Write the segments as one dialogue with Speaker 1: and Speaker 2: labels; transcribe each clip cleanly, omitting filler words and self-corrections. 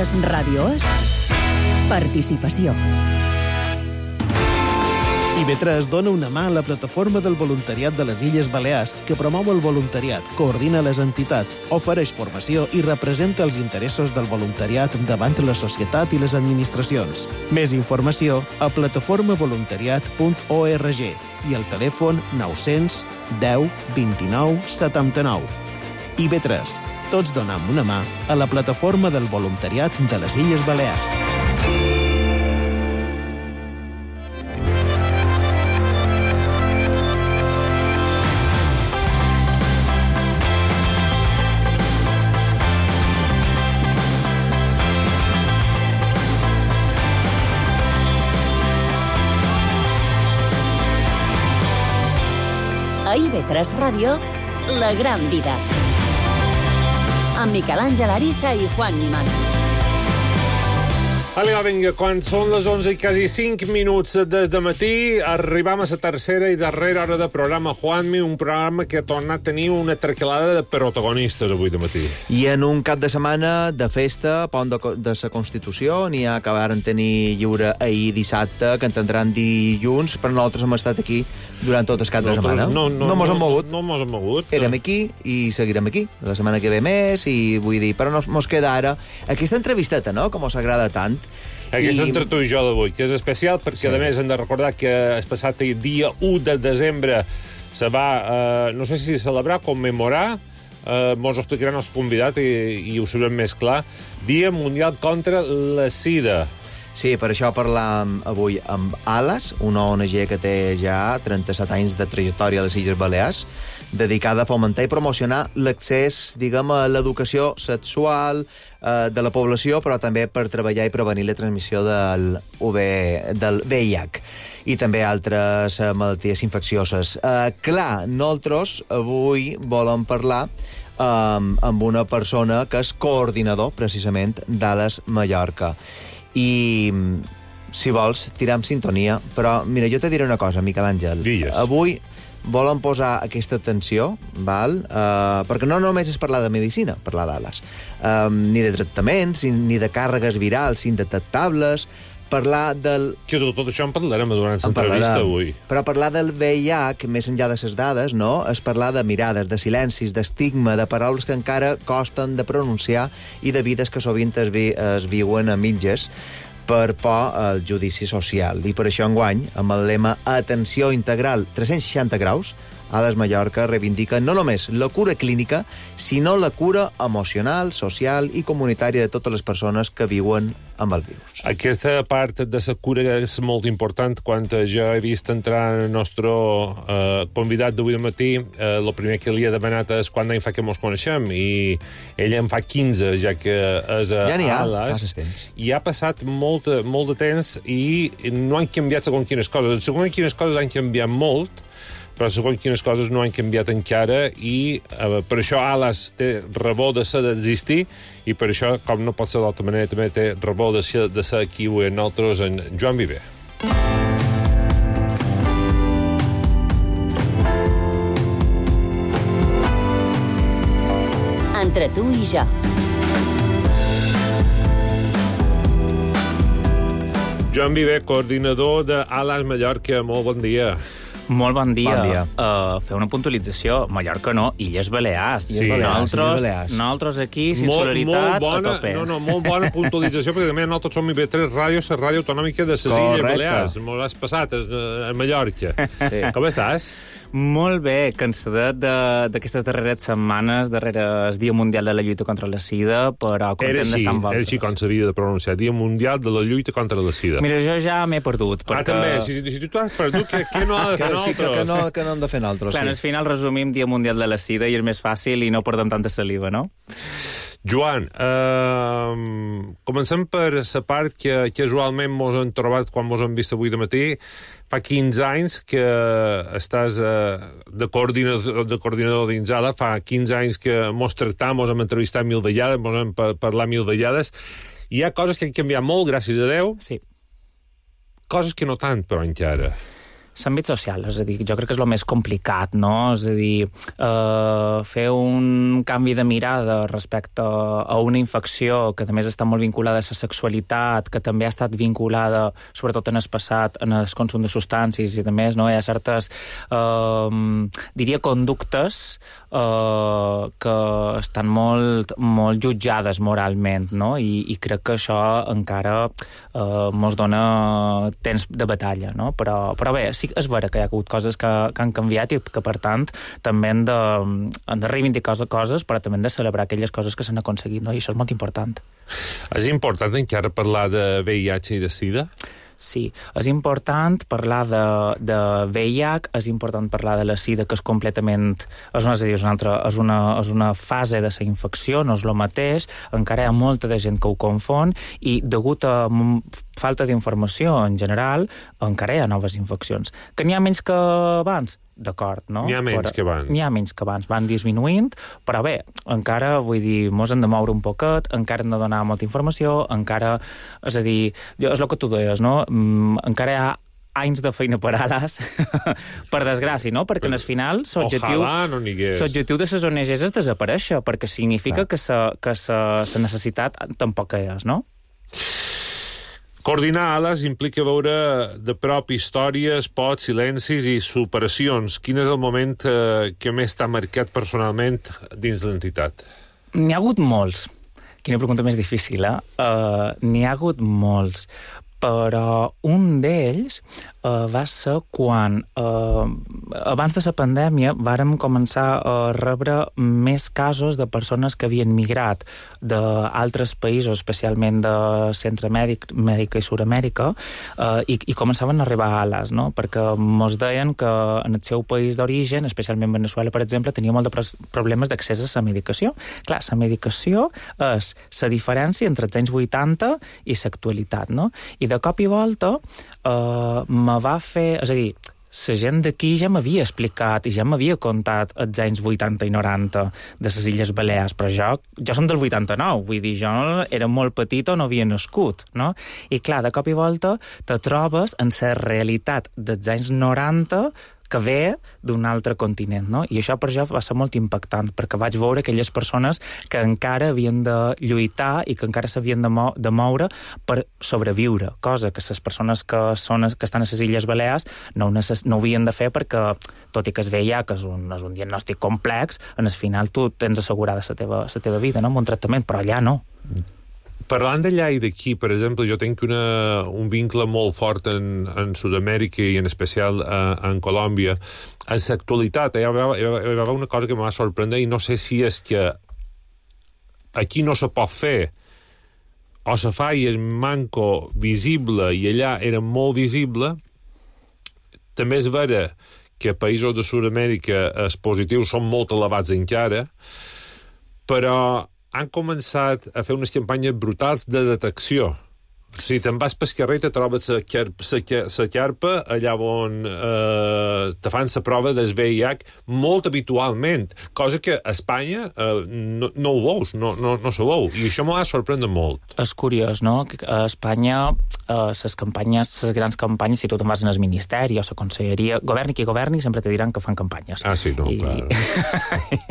Speaker 1: IB3 Ràdio és participació.
Speaker 2: IB3 dona una mà a la plataforma del voluntariat de les Illes Balears, que promou el voluntariat, coordina les entitats, ofereix formació i representa els interessos del voluntariat davant la societat i les administracions. Més informació a plataformavoluntariat.org i al telèfon 900 10 29 79. IB3. Tots donem una mà a la plataforma del voluntariat de les Illes Balears.
Speaker 1: A IB3 Ràdio, La Gran Vida. Amb Miquel Àngel Ariza i Juan Nimas.
Speaker 3: Vinga, quan són les 11 i quasi 5 minuts des de matí, arribam a la tercera i darrera hora de programa Juanmi, un programa que ha tornat a tenir una traquelada de protagonistes avui de matí.
Speaker 4: I en un cap de setmana de festa, pont de la Constitució, n'hi ha que varen tenir lliure ahir dissabte, que entendran dilluns, però nosaltres hem estat aquí durant tot el cap de setmana. No mos hem mogut.
Speaker 3: No mos hem mogut.
Speaker 4: Érem aquí i seguirem aquí. La setmana que ve més, i vull dir, però mos queda ara aquesta entrevisteta, no?, que mos agrada tant.
Speaker 3: Aquesta entre tu i jo d'avui, que és especial perquè, a més, hem de recordar que el passat dia 1 de desembre se va, no sé si celebrar, commemorar, mos ho explicaran els convidats i ho sabrem més clar, Dia Mundial contra la Sida.
Speaker 4: Sí, per això parlam avui amb ALAS, una ONG que té ja 37 anys de trajectòria a les Illes Balears, dedicada a fomentar i promocionar l'accés, diguem, a l'educació sexual de la població, però també per treballar i prevenir la transmissió del VIH i també altres malalties infeccioses. Clar, nosaltres avui volem parlar amb una persona que és coordinador, precisament, d'ALAS Mallorca. I, si vols, tiram sintonia, però, mira, jo te diré una cosa, Miquel Àngel.
Speaker 3: Digues.
Speaker 4: Avui volen posar aquesta atenció, val? Perquè no només és parlar de medicina, parlar d'ALAS, ni de tractaments, ni de càrregues virals indetectables, parlar del...
Speaker 3: Que tot això en parlarem durant l'entrevista avui.
Speaker 4: Però parlar del VIH, més enllà de les dades, no? És parlar de mirades, de silencis, d'estigma, de paraules que encara costen de pronunciar i de vides que sovint es viuen a mitges per por al judici social. I per això enguany, amb el lema Atenció Integral 360 graus, ALAS Mallorca reivindica no només la cura clínica, sinó la cura emocional, social i comunitària de totes les persones que viuen amb el virus.
Speaker 3: Aquesta part de la cura és molt important. Quan jo he vist entrar el nostre convidat d'avui de matí, el primer que li he demanat és quant d'any fa que mos coneixem, i ell en fa 15, ja que és a ALAS, i ha passat molt de temps i no han canviat segons quines coses. Segons quines coses han canviat molt, però segons quines coses no han canviat encara, i per això ALAS té raó de ser d'existir, i per això, com no pot ser d'altra manera, també té raó de ser aquí avui amb nosaltres en Joan Viver.
Speaker 1: Entre tu i jo.
Speaker 3: Joan Viver, coordinador de ALAS Mallorca, molt bon dia.
Speaker 5: Molt bon dia.
Speaker 4: Bon dia.
Speaker 5: Fer una puntualització. Mallorca no, Illes Balears.
Speaker 3: Sí,
Speaker 5: nosaltres aquí, solidaritat, a tope.
Speaker 3: Molt bona puntualització, perquè també nosaltres som IB3 Ràdio, la ràdio autonòmica de les Illes Balears. M'ho has passat a Mallorca. Sí. Com estàs?
Speaker 5: Molt bé, cansadet d'aquestes darreres setmanes, darrere el Dia Mundial de la Lluita contra la Sida, però content d'estar amb vosaltres.
Speaker 3: Era així com s'havia de pronunciar, Dia Mundial de la Lluita contra la Sida.
Speaker 5: Mira, jo ja m'he perdut. Perquè...
Speaker 3: també, si tu t'has perdut, què no ha de fer nosaltres?
Speaker 4: Que no hem de fer nosaltres,
Speaker 5: clar, al final resumim Dia Mundial de la Sida i és més fàcil i no perdem tanta saliva, no?
Speaker 3: Joan, comencem per la part que casualment mos han trobat quan mos han vist avui de matí. Fa 15 anys que estàs de coordinador dins ALAS, fa 15 anys que mos tractam, mos hem entrevistat 1000 vegades, mos hem parlat 1000 vegades. Hi ha coses que han canviat molt, gràcies a Déu.
Speaker 5: Sí.
Speaker 3: Coses que no tant, però encara.
Speaker 5: L'àmbit social, és a dir, jo crec que és el més complicat, no? És a dir, fer un canvi de mirada respecte a una infecció que també està molt vinculada a la sexualitat, que també ha estat vinculada, sobretot en el passat, en el consum de substàncies i també, no? Hi ha certes, diria, conductes que estan molt jutjades moralment, no? I crec que això encara mos dona temps de batalla, no? Però bé, sí que és vera que hi ha hagut coses que han canviat i que, per tant, també hem de reivindicar coses, però també hem de celebrar aquelles coses que s'han aconseguit, no? I això és molt important.
Speaker 3: És important encara parlar de VIH i de SIDA?
Speaker 5: Sí, és important parlar de VIH, és important parlar de la SIDA, que és completament... És una fase de la infecció, no és el mateix, encara hi ha molta de gent que ho confon, i degut a falta d'informació en general, encara hi ha noves infeccions. Que n'hi ha menys que abans? D'acord, no?
Speaker 3: N'hi ha menys que abans.
Speaker 5: N'hi ha menys que abans, van disminuint, però bé, encara, vull dir, mos hem de moure un poquet, encara hem de donar molta informació, encara, és a dir, és el que tu deies, no? Encara hi ha anys de feina per ales, per desgràcia, no? Perquè al final l'objectiu de les ONGs és desaparèixer, perquè significa que la necessitat tampoc és, no?
Speaker 3: Coordinar ales implica veure de prop històries, pots, silencis i superacions. Quin és el moment que més t'ha marcat personalment dins l'entitat?
Speaker 5: N'hi ha hagut molts. Quina pregunta més difícil, eh? N'hi ha hagut molts. Però un d'ells va ser quan, abans de la pandèmia, vàrem començar a rebre més casos de persones que havien migrat d'altres països, especialment de Centreamèrica i Sud-amèrica, i començaven a arribar a ales, no? Perquè mos deien que en el seu país d'origen, especialment Veneçuela, per exemple, tenia molt de problemes d'accés a la medicació. Clar, la medicació és la diferència entre els anys 80 i l'actualitat, no? I de cop i volta me va fer... És a dir, la gent d'aquí ja m'havia explicat i ja m'havia contat els anys 80 i 90 de les Illes Balears, però jo som del 89, vull dir, jo era molt petit o no havia nascut, no? I clar, de cop i volta te trobes en la realitat dels anys 90 que ve d'un altre continent, no? I això per jo va ser molt impactant, perquè vaig veure aquelles persones que encara havien de lluitar i que encara s'havien de moure per sobreviure, cosa que les persones que estan a les Illes Balears no havien de fer perquè, tot i que es veia que és un diagnòstic complex, en el final tu tens assegurada la teva vida, no? Amb un tractament, però allà no.
Speaker 3: Parlant d'allà i d'aquí, per exemple, jo tinc un vincle molt fort en Sud-amèrica i en especial en Colòmbia. En l'actualitat hi va una cosa que em va sorprendre i no sé si és que aquí no se pot fer o se fa i és manco visible i allà era molt visible. També és vera que a països de Sud-amèrica els positius són molt elevats encara, però han començat a fer unes campanyes brutals de detecció. O sigui, te'n vas pel carrer i te trobes la carpa allà on te fan la prova del VIH molt habitualment, cosa que a Espanya no ho veus, no se veu, i això m'ho va sorprendre molt.
Speaker 5: És curiós, no? A Espanya les grans campanyes, si tu te'n vas en el Ministeri o la Conselleria, governi qui governi, sempre te diran que fan campanyes.
Speaker 3: Ah, sí, no, clar.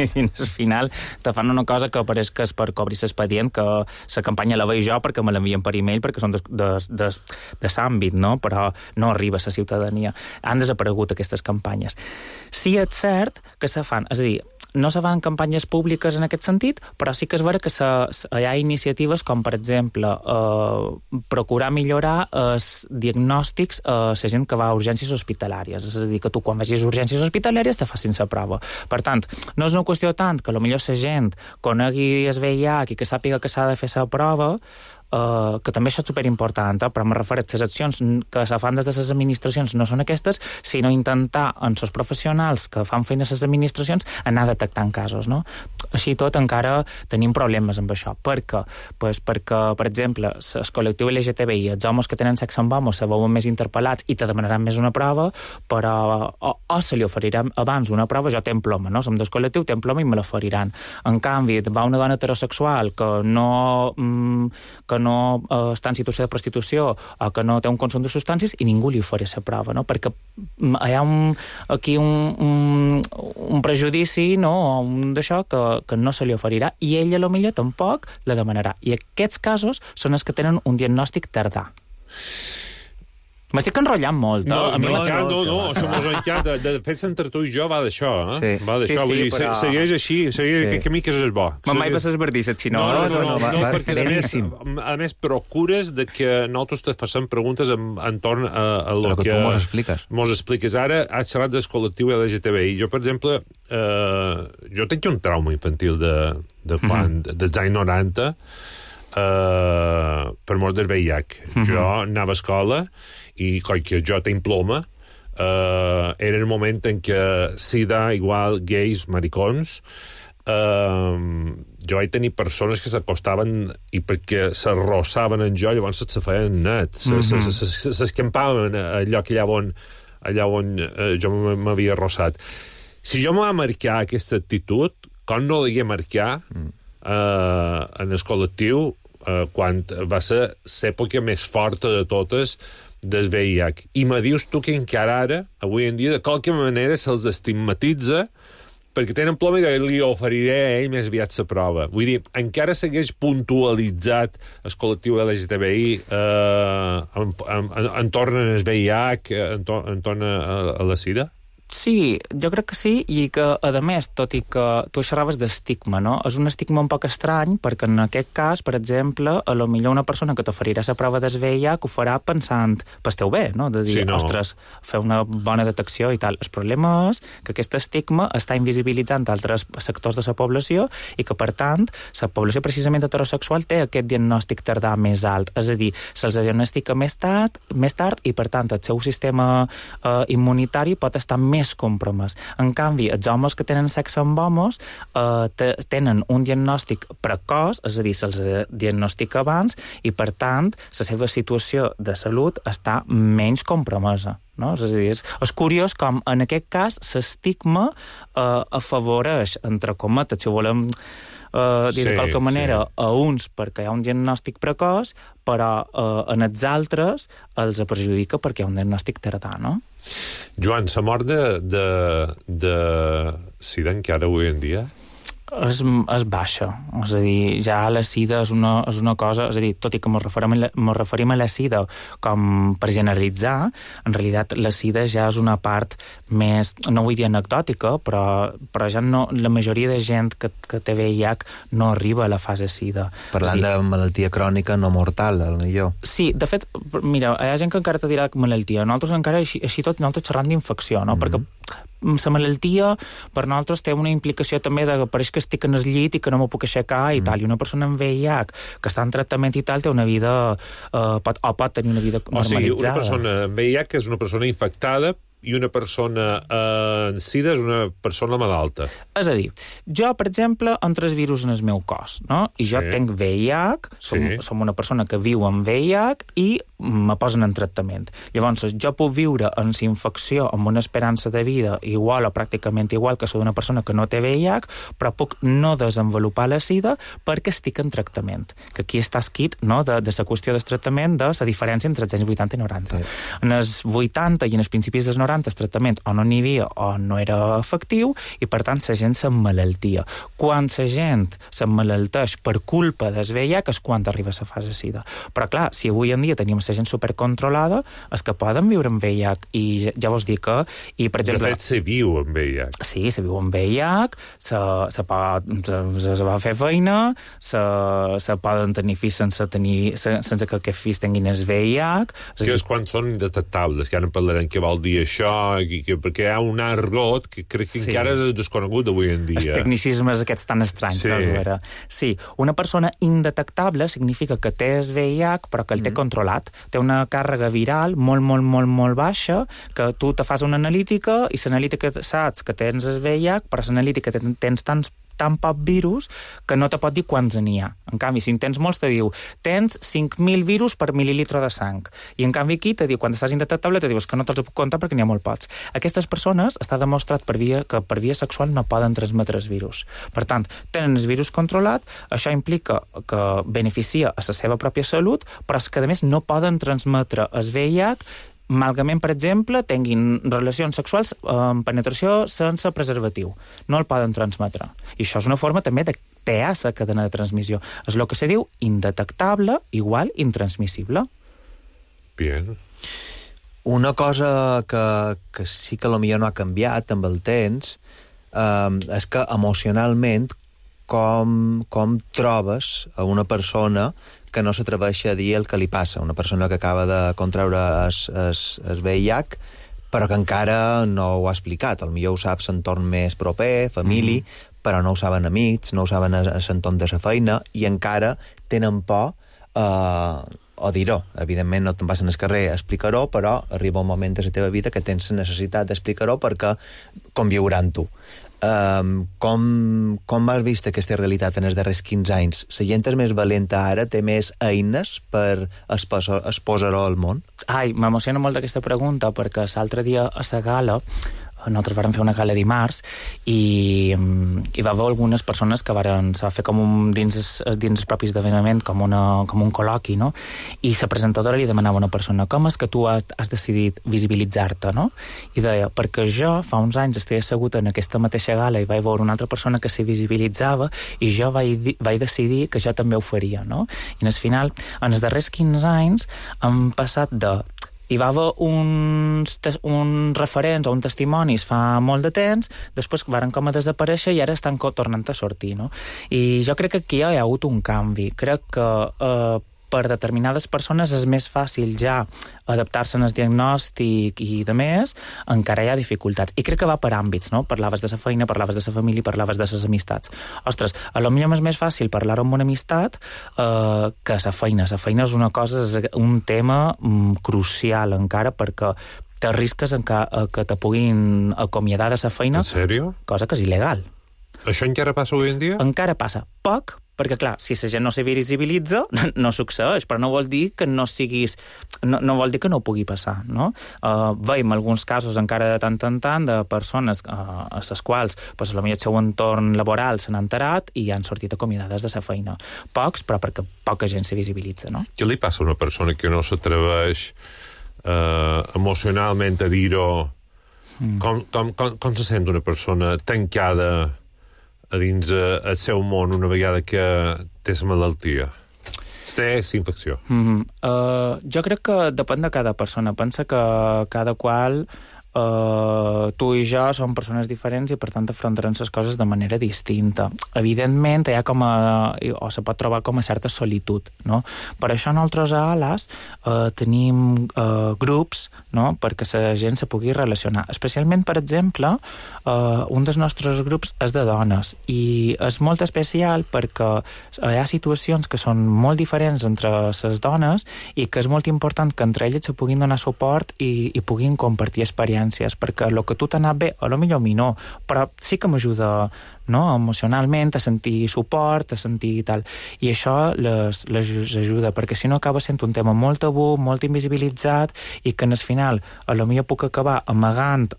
Speaker 5: I al final te fan una cosa que pareix que és per cobrir l'expedient, que la campanya la veig jo perquè me l'envien per e-mail, perquè són de l'àmbit, no? Però no arriba a la ciutadania. Han desaparegut aquestes campanyes. Sí, és cert que se fan, és a dir, no se fan campanyes públiques en aquest sentit, però sí que és vera que hi ha iniciatives com, per exemple, procurar millorar els diagnòstics a la gent que va a urgències hospitalàries. És a dir, que tu quan vagis a urgències hospitalàries te facin la prova. Per tant, no és una qüestió tant que potser la gent conegui el VIH i que sàpiga que s'ha de fer la prova, que també això és superimportant, però me refereixo a les accions que se fan des de les administracions no són aquestes, sinó intentar en els professionals que fan feina a les administracions anar detectant casos, no? Així tot encara tenim problemes amb això. Per què? Perquè, per exemple, el col·lectiu LGTBI, els homes que tenen sexe amb homes se veuen més interpel·lats i te demanaran més una prova, però o se li oferirà abans una prova, jo tenc ploma, no? Som del col·lectiu, tenc ploma i me l'oferiran. En canvi, va una dona heterosexual que no no està en situació de prostitució o que no té un consum de substàncies i ningú li ofereix la prova, no? Perquè hi ha aquí un prejudici, no? D'això que no se li oferirà i ella potser tampoc la demanarà. I aquests casos són els que tenen un diagnòstic tardà. M'estic enrotllant molt,
Speaker 3: no,
Speaker 5: això
Speaker 3: mos encanta. De fet, entre tu i jo va d'això, eh?
Speaker 4: Sí.
Speaker 3: Va d'això, vull dir,
Speaker 4: però...
Speaker 3: segueix així, segueix aquest camí que és bo.
Speaker 5: Mai vas esbardisses, si no.
Speaker 3: No, perquè a més procures de que nosaltres te facem preguntes entorn a lo que
Speaker 4: tu mos expliques.
Speaker 3: Mos expliques. Ara has xerrat del col·lectiu LGTBI. Jo, per exemple, jo tinc un trauma infantil dels anys 90 per mort del VIH. Jo anava a escola i, coi que jo tinc ploma, era el moment en què sida igual gais, maricons, jo vaig tenir persones que s'acostaven i perquè s'arrossaven en jo, llavors se feien net, s'escampaven al lloc allà on jo m'havia arrossat. Si jo m'ha marcar aquesta actitud, com no l'hagué marcar en el col·lectiu quan va ser l'època més forta de totes del VIH. I me dius tu que encara ara, avui en dia, de qualque manera se'ls estigmatitza perquè tenen ploma i li oferiré a ell més aviat la prova. Vull dir, encara s'hagués puntualitzat el col·lectiu LGTBI entorn al VIH, entorn a la sida?
Speaker 5: Sí, jo crec que sí, i que, a més, tot i que tu xerraves d'estigma, no? És un estigma un poc estrany, perquè en aquest cas, per exemple, a lo millor una persona que t'oferirà la prova del VIH ho farà pensant pel teu bé, no? De dir, ostres, fer una bona detecció i tal. El problema és que aquest estigma està invisibilitzant altres sectors de la població i que, per tant, la població precisament heterosexual té aquest diagnòstic tardà més alt. És a dir, se'ls diagnostica més tard i, per tant, el seu sistema immunitari pot estar més compromès. En canvi, els homes que tenen sexe amb homes tenen un diagnòstic precoç, és a dir, se'ls diagnostica abans i, per tant, la seva situació de salut està menys compromesa. No? És a dir, és curiós com, en aquest cas, l'estigma afavoreix, entre cometes, si ho volem dir de qualque manera, a uns perquè hi ha un diagnòstic precoç, però en els altres els perjudica perquè hi ha un diagnòstic tardà, no?
Speaker 3: Joan, la mort de sida encara avui en dia?
Speaker 5: És baixa. És a dir, ja la sida és una cosa... És a dir, tot i que ens referim a la sida com per generalitzar, en realitat la sida ja és una part més, no vull dir anecdòtica, però ja no, la majoria de gent que té VIH no arriba a la fase sida.
Speaker 4: Parlant de malaltia crònica no mortal, millor.
Speaker 5: Sí, de fet, mira, hi ha gent que encara te dirà malaltia. Nosaltres encara, així tot, nosaltres xerrant d'infecció, no? Perquè la malaltia per nosaltres té una implicació també de que pareix que estic en el llit i que no m'ho puc aixecar i tal, i una persona amb VIH que està en tractament i tal té una vida pot tenir una vida normalitzada.
Speaker 3: O sigui, una persona amb VIH és una persona infectada i una persona en sida és una persona malalta. És
Speaker 5: a dir, jo, per exemple, entro el virus en el meu cos, no? I jo tinc VIH, som una persona que viu amb VIH i me posen en tractament. Llavors, jo puc viure en la infecció amb una esperança de vida igual o pràcticament igual que soc una persona que no té VIH, però puc no desenvolupar la sida perquè estic en tractament. Que aquí està escrit, no?, de la qüestió del tractament, de la diferència entre els anys 80 i 90. Sí. En els 80 i en els principis dels 90 el tractament o no n'hi havia o no era efectiu i, per tant, la gent s'emmalaltia. Quan la gent s'emmalalteix per culpa del VIH és quan arriba a la fase sida. Però, clar, si avui en dia tenim la gent supercontrolada, és que poden viure amb VIH i ja vos dic que... I, per exemple,
Speaker 3: de fet, se viu amb VIH.
Speaker 5: Sí, se viu amb VIH, se va fer feina, se poden tenir fills sense que aquests fills tinguin el VIH...
Speaker 3: Que és quan són indetectables, que ara en parlarem què vol dir això, perquè hi ha un argot que crec que encara és desconegut avui en dia.
Speaker 5: Els tecnicismes aquests tan estranys. Sí, una persona indetectable significa que té el VIH però que el té controlat. Té una càrrega viral molt baixa, que tu te fas una analítica i l'analítica saps que tens el VIH, però l'analítica tens tants tan poc virus que no te pot dir quants n'hi ha. En canvi, si en tens molts, te diu tens 5.000 virus per mil·lilitre de sang. I en canvi aquí te diu, quan estàs indetectable, te dius que no te'ls puc comptar perquè n'hi ha molt pocs. Aquestes persones està demostrat que per via sexual no poden transmetre els virus. Per tant, tenen el virus controlat, això implica que beneficia a la seva pròpia salut, però és que, a més, no poden transmetre el VIH malgament, per exemple, tinguin relacions sexuals amb penetració sense preservatiu. No el poden transmetre. I això és una forma també de tear la cadena de transmissió. És el que se diu indetectable igual intransmissible.
Speaker 3: Bien.
Speaker 4: Una cosa que sí que potser no ha canviat amb el temps és que emocionalment com trobes a una persona que no s'atreveix a dir el que li passa. Una persona que acaba de contraure el VIH, però que encara no ho ha explicat. Potser ho sap l'entorn més proper, família, però no ho saben amics, no ho saben a l'entorn de la feina, i encara tenen por o dir-ho. Evidentment no te'n vas al carrer a explicar-ho, però arriba un moment de la teva vida que tens la necessitat d'explicar-ho perquè conviurà amb tu. Com has vist aquesta realitat en els darrers 15 anys? La gent és més valenta ara, té més eines per exposar-ho al món?
Speaker 5: Ai, m'emociona molt aquesta pregunta perquè l'altre dia a la gala nosaltres vàrem fer una gala dimarts i va haver algunes persones que varen fer com dins els propis esdeveniment com un col·loqui, no? I la presentadora li demanava a una persona com és que tu has decidit visibilitzar-te, no? I deia, perquè jo fa uns anys estava assegut en aquesta mateixa gala i vaig veure una altra persona que s'hi visibilitzava i jo vaig decidir que jo també ho faria, no? I al final, en els darrers 15 anys han passat hi va haver uns referents o uns testimonis fa molt de temps, després varen com a desaparèixer i ara estan tornant a sortir, no? I jo crec que aquí hi ha hagut un canvi. Crec que per determinades persones és més fàcil ja adaptar-se al diagnòstic i de més, encara hi ha dificultats. I crec que va per àmbits, no? Parlaves de la feina, parlaves de la família, parlaves de les amistats. Ostres, potser és més fàcil parlar-ho amb una amistat que la feina. La feina és una cosa, és un tema crucial encara, perquè t'arrisques que te puguin acomiadar de la feina.
Speaker 3: En sèrio?
Speaker 5: Cosa que és il·legal.
Speaker 3: Això encara passa avui en dia?
Speaker 5: Encara passa. Poc, perquè, clar, si la gent no se visibilitza, no succeeix, però no vol dir que no siguis... No vol dir que no pugui passar, no? Veiem alguns casos encara de tant en tant de persones a les quals potser el seu entorn laboral s'han enterat i han sortit acomiadades de la feina. Pocs, però perquè poca gent se visibilitza, no?
Speaker 3: Què li passa a una persona que no s'atreveix emocionalment a dir-ho? Com se sent una persona tancada a dins el seu món una vegada que té la malaltia? Té infecció.
Speaker 5: Jo crec que depèn de cada persona. Pensa que cada qual tu i jo som persones diferents i per tant afrontarem les coses de manera distinta. Evidentment hi ha o se pot trobar com a certa solitud, no? Per això nosaltres a ALAS tenim grups, no?, perquè la gent se pugui relacionar. Especialment, per exemple, un dels nostres grups és de dones i és molt especial perquè hi ha situacions que són molt diferents entre les dones i que és molt important que entre elles se puguin donar suport i puguin compartir experiències, perquè el que tu t'ha anat bé, potser a mi no, però sí que m'ajuda, no?, emocionalment, a sentir suport, a sentir tal. I això les ajuda, perquè si no acaba sent un tema molt tabú, molt invisibilitzat, i que al final potser puc acabar amagant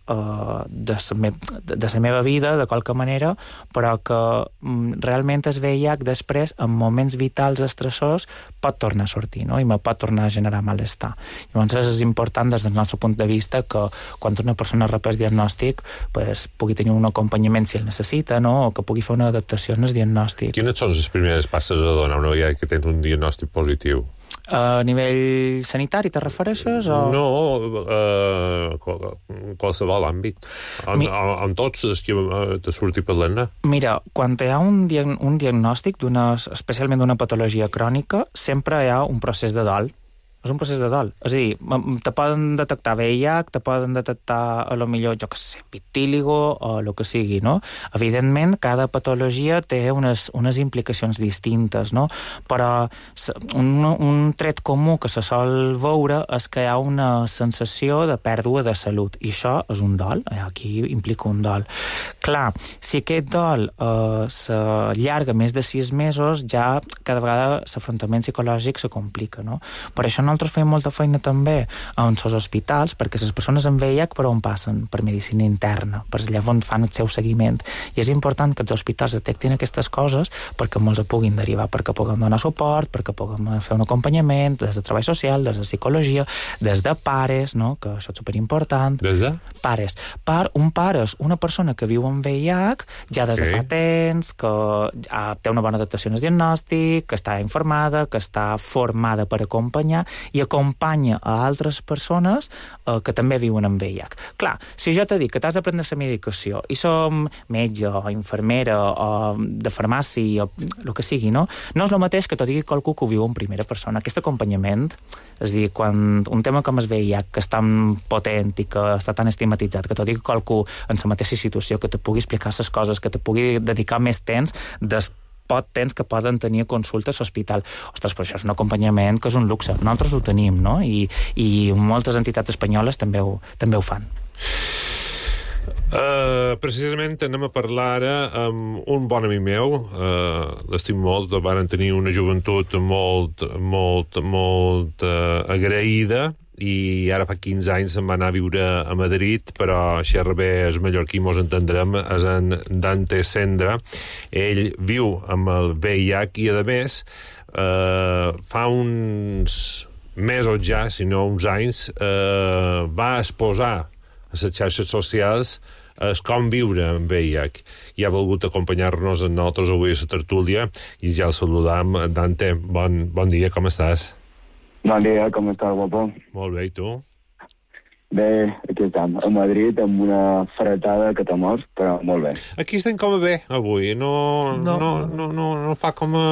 Speaker 5: de la meva vida, de qualque manera, però que realment el VIH després, en moments vitals estressors, pot tornar a sortir, no?, i me pot tornar a generar malestar. Llavors és important, des del nostre punt de vista, que quan una persona rep el diagnòstic pugui tenir un acompanyament si el necessita, no?, o que pugui fer una adaptació en el diagnòstic.
Speaker 3: Quines són les primeres passes a donar una vegada que tens un diagnòstic positiu?
Speaker 5: A nivell sanitari te refereixes? O...
Speaker 3: No, qualsevol àmbit. En tots els que te surti parlant-ne.
Speaker 5: Mira, quan hi ha un diagnòstic, especialment d'una patologia crònica, sempre hi ha un procés de dol, és un procés de dol. És a dir, te poden detectar VIH, te poden detectar, a lo millor, jo què sé, vitíligo o el que sigui, no? Evidentment, cada patologia té unes implicacions distintes, no? Però un tret comú que se sol veure és que hi ha una sensació de pèrdua de salut, i això és un dol, aquí implica un dol. Clar, si aquest dol s'allarga més de 6 mesos, ja cada vegada l'afrontament psicològic se complica, no? Per això nosaltres fem molta feina també en els hospitals, perquè les persones amb VIH per on passen? Per medicina interna, per allà on fan el seu seguiment. I és important que els hospitals detectin aquestes coses perquè molts puguin derivar, perquè puguem donar suport, perquè puguem fer un acompanyament des de treball social, des de psicologia, des de pares, no? Que això és superimportant.
Speaker 3: Des de?
Speaker 5: Pares. Un pare és una persona que viu amb VIH ja des de fa temps, que té una bona adaptació al diagnòstic, que està informada, que està formada per acompanyar i acompanya a altres persones que també viuen amb VIH. Clar, si jo t'he dit que t'has de prendre la medicació i som metge o infermera o de farmàcia o el que sigui, no? No és el mateix que t'ho digui qualcú que ho viu en primera persona. Aquest acompanyament, és a dir, quan un tema com el VIH, que és tan potent i que està tan estigmatitzat, que t'ho digui qualcú en la mateixa situació, que te pugui explicar les coses, que te pugui dedicar més temps temps que poden tenir consultes a l'hospital. Ostres, però això és un acompanyament que és un luxe. Nosaltres ho tenim, no? I moltes entitats espanyoles també ho fan.
Speaker 3: Precisament anem a parlar ara amb un bon amic meu, l'estim molt, varen tenir una joventut molt agraïda, i ara fa 15 anys se'n va anar a viure a Madrid, però xerra bé el mallorquí, mos entendrem, és en Dante Sendra. Ell viu amb el VIH i, a més, fa uns mesos ja, si no uns anys, va exposar a les xarxes socials com viure amb VIH, i ha volgut acompanyar-nos a nosaltres avui a la tertúlia, i ja el saludam. Dante, bon dia, com estàs?
Speaker 6: Bon dia, com estàs, guapo?
Speaker 3: Molt bé, i tu?
Speaker 6: Bé, aquí estem, a Madrid, amb una fretada que t'ha mort, però molt bé.
Speaker 3: Aquí estem com a bé, avui. No fa com a...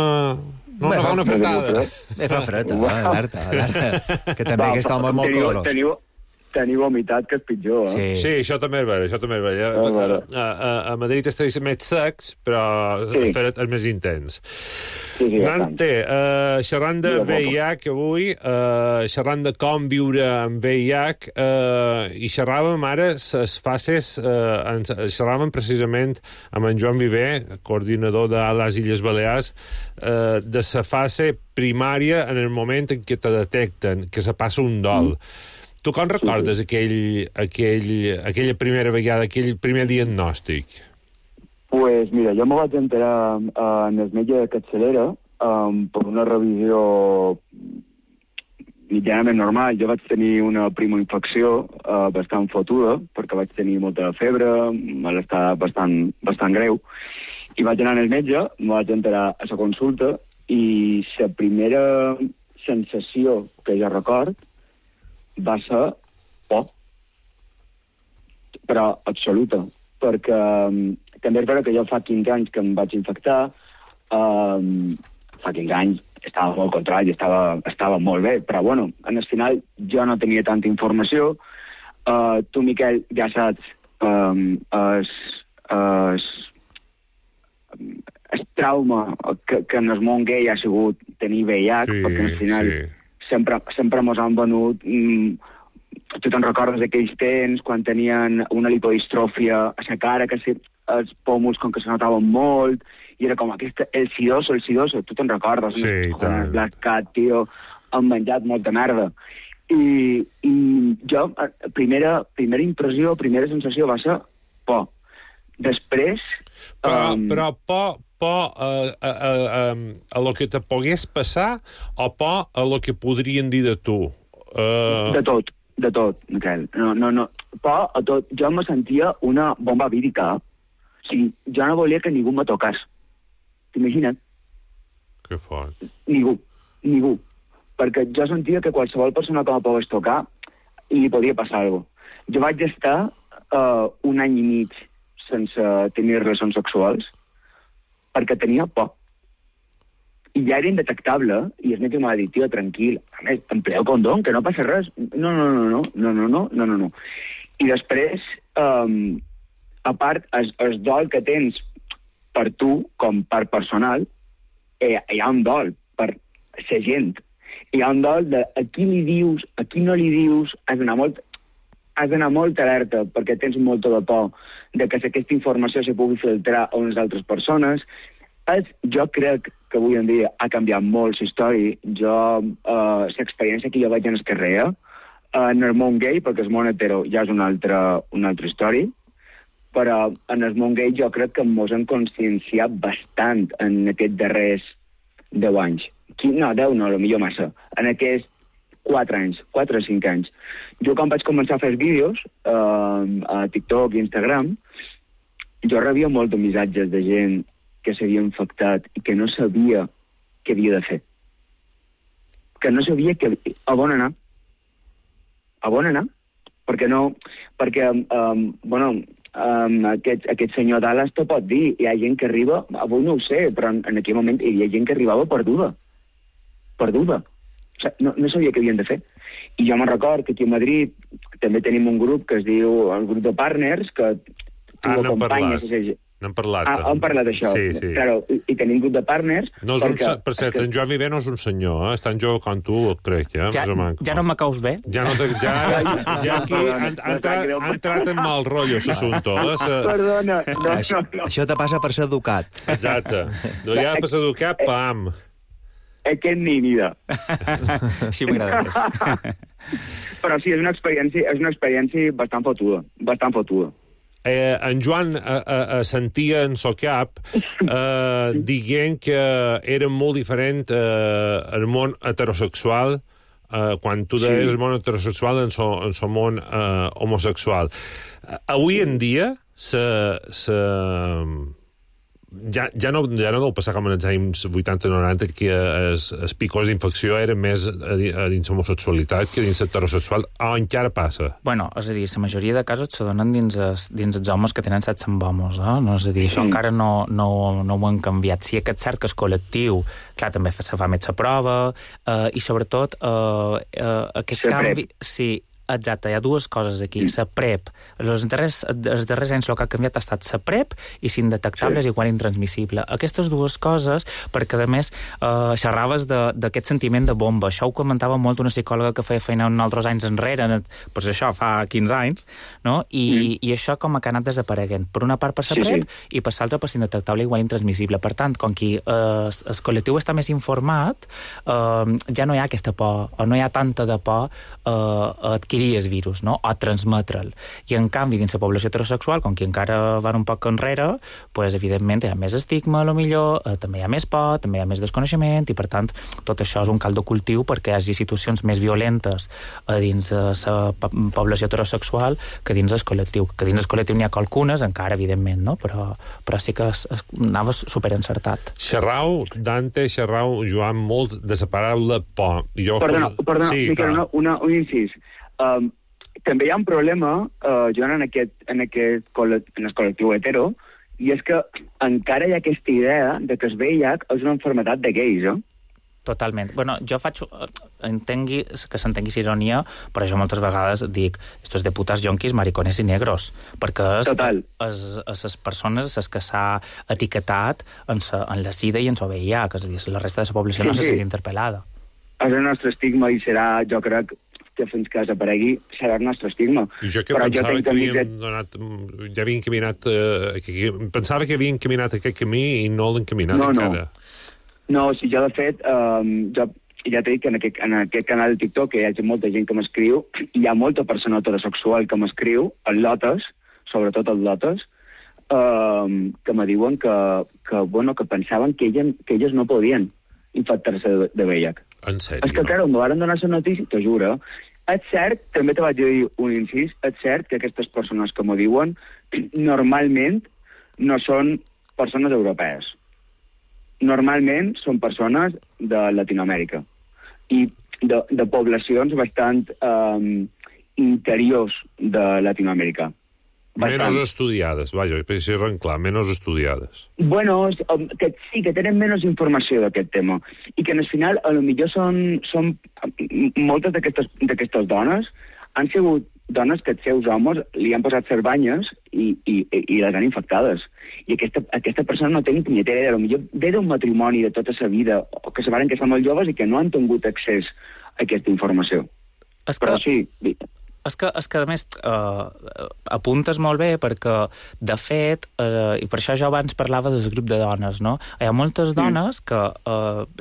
Speaker 3: No fa una fretada.
Speaker 4: Fa fred, alerta. Que també aquest home és molt colorós.
Speaker 6: Teniu humitat, que és pitjor, eh?
Speaker 3: Sí, això també és vera. A Madrid estàs més secs, però el fred és més intens. Dante, xerrant de VIH avui, xerrant de com viure amb VIH, i xerràvem ara les fases, xerràvem precisament amb en Joan Viver, coordinador de les Illes Balears, de la fase primària en el moment en què te detecten, que se passa un dol. Tu com recordes aquella primera vegada, aquell primer diagnòstic?
Speaker 6: Pues mira, jo me vaig enterar en el metge de capçalera per una revisió mitjanament normal. Jo vaig tenir una primoinfecció bastant fotuda, perquè vaig tenir molta febre, malestar bastant greu, i vaig anar al metge, me vaig enterar a la consulta, i la primera sensació que jo record va ser por, però absoluta, perquè també és vera que jo fa 15 anys que em vaig infectar, fa 15 anys estava molt controlat i estava molt bé, però bueno, en el final jo no tenia tanta informació. Tu, Miquel, ja saps, el trauma que en el món gay ha sigut tenir VIH, perquè al final sempre mos han venut... Tu te'n recordes d'aquells temps quan tenien una lipodistròfia a la cara, que els pòmuls com que se notaven molt, i era com aquesta, el sidoso, tu te'n recordes?
Speaker 3: Sí, tant.
Speaker 6: Black Cat, tio, han menjat molta merda. I jo, primera impressió, primera sensació va ser por. Després...
Speaker 3: Però por a lo que te pogués passar o por a lo que podrien dir de tu?
Speaker 6: De tot, Miquel. No. Por a tot. Jo me sentia una bomba vírica. O sigui, jo no volia que ningú me tocés. T'imagines?
Speaker 3: Que fort.
Speaker 6: Ningú. Perquè jo sentia que qualsevol persona que me pogués tocar li podia passar alguna cosa. Jo vaig estar 1 any i mig sense tenir relacions sexuals perquè tenia por. I ja era indetectable, i el metge m'ha dit, tio, tranquil, a més, empleo condom, que no passa res. No. I després, a part, el dol que tens per tu, com per personal, hi ha un dol per la gent. Hi ha un dol de a qui li dius, a qui no li dius, has d'anar molt alerta, perquè tens molta de por de que aquesta informació se pugui filtrar a unes altres persones. Jo crec que avui en dia ha canviat molt la història. L'experiència que jo vaig en el carrer, en el món gay, perquè el món hetero ja és una altra història, però en el món gay jo crec que ens hem conscienciat bastant en aquests darrers 10 anys. No, 10 no, potser massa. En aquests 4 anys, 4 o 5 anys. Jo quan vaig començar a fer vídeos a TikTok i Instagram, jo rebia molts missatges de gent que s'havia infectat i que no sabia què havia de fer. Que no sabia a on anar. A on anar? Perquè aquest senyor Dallas t'ho pot dir. Hi ha gent que arriba, avui no ho sé, però en aquell moment hi havia gent que arribava perduda. O sigui, no sabia què havien de fer. I jo me'n record que aquí a Madrid també tenim un grup que es diu el grup de partners, que tu acompanyes...
Speaker 3: N'hem parlat.
Speaker 6: Hem parlat d'això.
Speaker 3: Sí.
Speaker 6: Claro, i tenim un grup de partners...
Speaker 3: Per cert, en Joan Viver no és un senyor, és tan jove com tu, crec,
Speaker 5: ja no me caus bé.
Speaker 3: Ja aquí ha entrat en mal rotllo, l'assumpte.
Speaker 6: Perdona.
Speaker 4: Això te passa per ser educat.
Speaker 3: Exacte. Ja per ser educat, pam.
Speaker 6: Aquest nínida.
Speaker 5: Sí, m'agrada més.
Speaker 6: Però sí, és una experiència bastant fotuda.
Speaker 3: En Joan sentia en so cap dient que era molt diferent el món heterosexual quan tu deies el món heterosexual en so món homosexual. Avui en dia ja no deu passar com en els anys 80-90 que els picos d'infecció eren més dins l'homosexualitat que dins l'heterosexual, o encara passa?
Speaker 5: Bueno, és a dir, la majoria de casos se donen dins els homes que tenen sexe amb homes, no? És a dir, això encara no ho han canviat. Sí que és cert que el col·lectiu, clar, també se fa més la prova, i sobretot aquest canvi... Sí, exacte, hi ha dues coses aquí. La PrEP. Els darrers anys el que ha canviat ha estat la PrEP i l'indetectable és igual intransmissible. Aquestes dues coses, perquè a més xerraves d'aquest sentiment de bomba. Això ho comentava molt una psicòloga que feia feina uns altres anys enrere, doncs això, fa 15 anys, no? I això com que ha anat desapareguent. Per una part per la PrEP i per l'altra per l'indetectable igual intransmissible. Per tant, com que el col·lectiu està més informat, ja no hi ha aquesta por, o no hi ha tanta de por a adquirir el virus, no? O transmetre'l. I en canvi, dins la població heterosexual, com que encara van un poc enrere, pues, evidentment hi ha més estigma, també hi ha més por, també hi ha més desconeixement, i per tant, tot això és un caldo cultiu perquè hi hagi situacions més violentes dins la població heterosexual que dins el col·lectiu. Que dins el col·lectiu n'hi ha qualcunes, encara, evidentment, no? Però sí que anava superencertat.
Speaker 3: Dante xerrau, Joan, molt de la paraula por.
Speaker 6: Perdona, sí, Miquel, un incís. També hi ha un problema, Joan, en el col·lectiu hetero, i és que encara hi ha aquesta idea de que el VIH és una malaltia de gais,
Speaker 5: Totalment. Bueno, jo entengui que s'entengui ironia, però jo moltes vegades dic estos de putas yonquis, maricones i negros, perquè les persones les que s'ha etiquetat en la SIDA i en el VIH, és a dir, la resta de la població no se sent interpel·lada.
Speaker 6: És el nostre estigma i serà, jo crec, que fins que desaparegui serà el nostre estigma.
Speaker 3: I jo que pensava que havien donat... Ja havien caminat... Pensava que havien caminat aquest camí i no l'han caminat encara.
Speaker 6: No, si jo de fet, jo ja t'he dit que en aquest canal de TikTok hi ha molta gent que m'escriu, hi ha molta persona heterosexual que m'escriu, el Lotes, sobretot el Lotes, que me diuen que pensaven que elles no podien infectar-se de VIH.
Speaker 3: En sèrio?
Speaker 6: És que, clar, em van donar la notícia, t'ho juro. És cert, també te vaig dir un incís, és cert que aquestes persones que m'ho diuen normalment no són persones europees. Normalment són persones de Latinoamèrica i de poblacions bastant interiors de Latinoamèrica.
Speaker 3: Menos estudiades, vaja, per ser clar, menos estudiades.
Speaker 6: Bueno, que sí, que tenen menys informació d'aquest tema. I que, al final, a lo millor són moltes d'aquestes dones han sigut dones que els seus homes li han posat cerbanyes i les han infectades. I aquesta persona no té ni punyetera idea. A lo millor ve d'un matrimoni de tota sa vida, o que se varen casar molt joves i que no han tingut accés a aquesta informació. Però sí...
Speaker 5: És que, a més, apuntes molt bé perquè, de fet, i per això jo abans parlava del grup de dones, no? Hi ha moltes dones que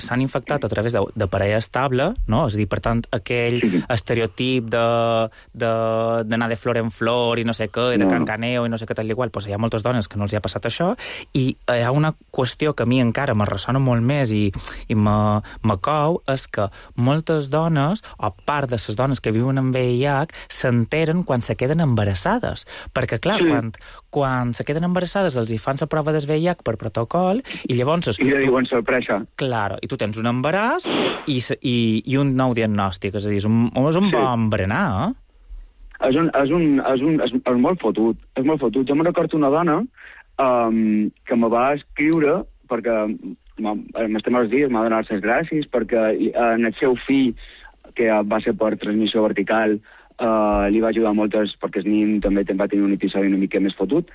Speaker 5: s'han infectat a través de parella estable, no? És a dir, per tant, aquell estereotip d'anar de flor en flor i no sé què, i de cancaneo i no sé què tal i igual, doncs hi ha moltes dones que no els hi ha passat això, i hi ha una qüestió que a mi encara me ressona molt més i me cou, és que moltes dones, o part de les dones que viuen amb VIH, s'enteren quan se queden embarassades. Perquè, clar, quan se queden embarassades els hi fan la prova del VIH per protocol i llavors...
Speaker 6: I li diuen sorpresa.
Speaker 5: Claro, i tu tens un embaràs i un nou diagnòstic. És a dir, és un bon berenar,
Speaker 6: És molt fotut. És molt fotut. Jo me recordo una dona que me va escriure perquè m'estem els dies, m'ha donat les gràcies perquè en el seu fill, que va ser per transmissió vertical, li va ajudar moltes perquè el nin també va tenir un episodi una mica més fotut,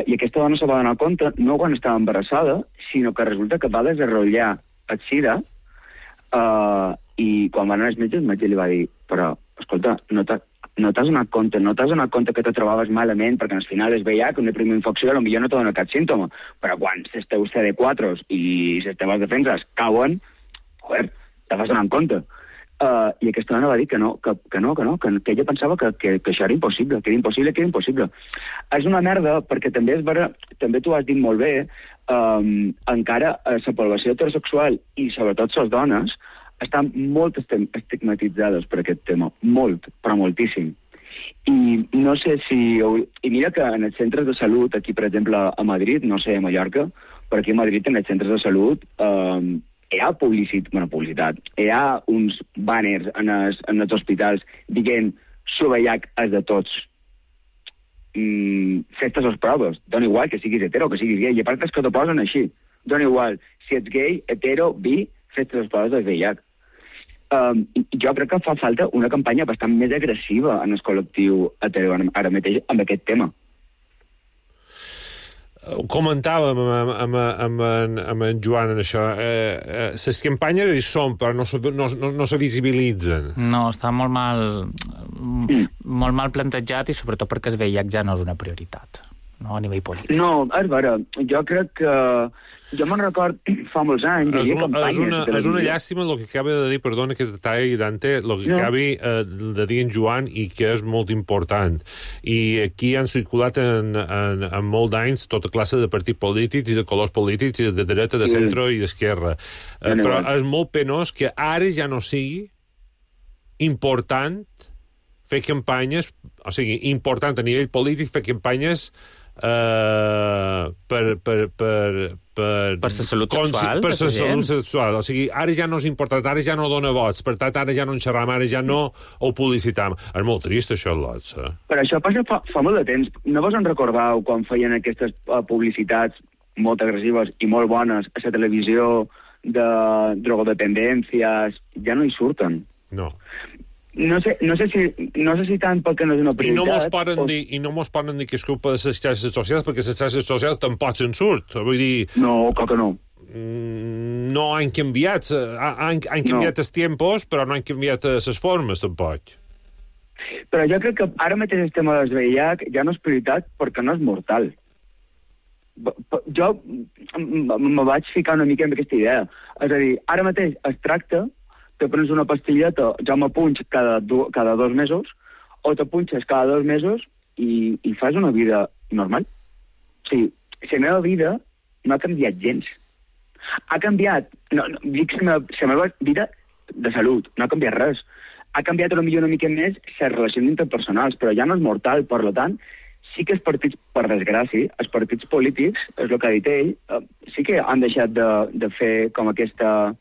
Speaker 6: i aquesta dona se va donar compte no quan estava embarassada, sinó que resulta que va desenrotllar el sida, i quan van anar als metges, el metge li va dir, però, escolta, no t'has donat compte que te trobaves malament, perquè al final és VIH, una primera infecció, potser no te dona cap símptoma, però quan els teus CD4 i les teves defenses cauen, joder, te vas donant compte. I aquesta dona va dir que ella pensava que això era impossible, que era impossible. És una merda, perquè també tu has dit molt bé, encara la població heterosexual i sobretot les dones estan molt estigmatitzades per aquest tema, molt, però moltíssim. I no sé si... I mira que en els centres de salut, aquí per exemple a Madrid, no sé, a Mallorca, però aquí a Madrid en els centres de salut hi ha publicitat, hi ha uns banners en els hospitals dient VIH és de tots. Fes-te les proves, dona igual que siguis hetero, que siguis gay, i a part és que t'ho posen així, dona igual, si ets gay, hetero, bi, fes-te les proves del VIH. Jo crec que fa falta una campanya bastant més agressiva en el col·lectiu hetero ara mateix amb aquest tema.
Speaker 3: Comentàvem amb en Joan en això. Les campanyes hi són, però no se visibilitzen.
Speaker 5: No, està molt mal plantejat i sobretot perquè el VIH ja no és una prioritat, no, a nivell polític.
Speaker 6: No, és vera. Jo crec que... Jo me'n record fa molts anys, hi havia campanyes...
Speaker 3: És una llàstima el que acaba de dir, perdona que t'atalli, Dante, el que acabi de dir en Joan i que és molt important. I aquí han circulat en molt d'anys tota classe de partits polítics i de colors polítics, i de dreta, de centre i d'esquerra. Però és molt penós que ara ja no sigui important fer campanyes, o sigui, important a nivell polític fer campanyes per
Speaker 5: la salut sexual.
Speaker 3: Per la salut sexual. O sigui, ara ja no és important, ara ja no dona vots, per tant, ara ja no en xerram, ara ja no ho publicitam. És molt trist, això, Lots.
Speaker 6: Però això passa fa molt de temps. No vos en recordeu quan feien aquestes publicitats molt agressives i molt bones a la televisió de drogodependències? Ja no hi surten.
Speaker 3: No.
Speaker 6: No sé si tant perquè no és una prioritat...
Speaker 3: I no mos poden dir que és culpa de les xarxes socials, perquè les xarxes socials tampoc se'n surt. Vull dir...
Speaker 6: No, que no.
Speaker 3: No han canviat. Han canviat els tempos, però no han canviat les formes, tampoc.
Speaker 6: Però jo crec que ara mateix el tema del VIH ja no és prioritat perquè no és mortal. Jo me vaig ficar una mica en aquesta idea. És a dir, ara mateix es tracta te prens una pastilleta, ja m'apunx cada 2 mesos, o t'apunxes cada 2 mesos i fas una vida normal. O sigui, la meva vida no ha canviat gens. Ha canviat, dic la meva vida de salut, no ha canviat res. Ha canviat potser una mica més les relacions interpersonals, però ja no és mortal, per tant, sí que els partits, per desgràcia, els partits polítics, és el que ha dit ell, sí que han deixat de fer com aquestes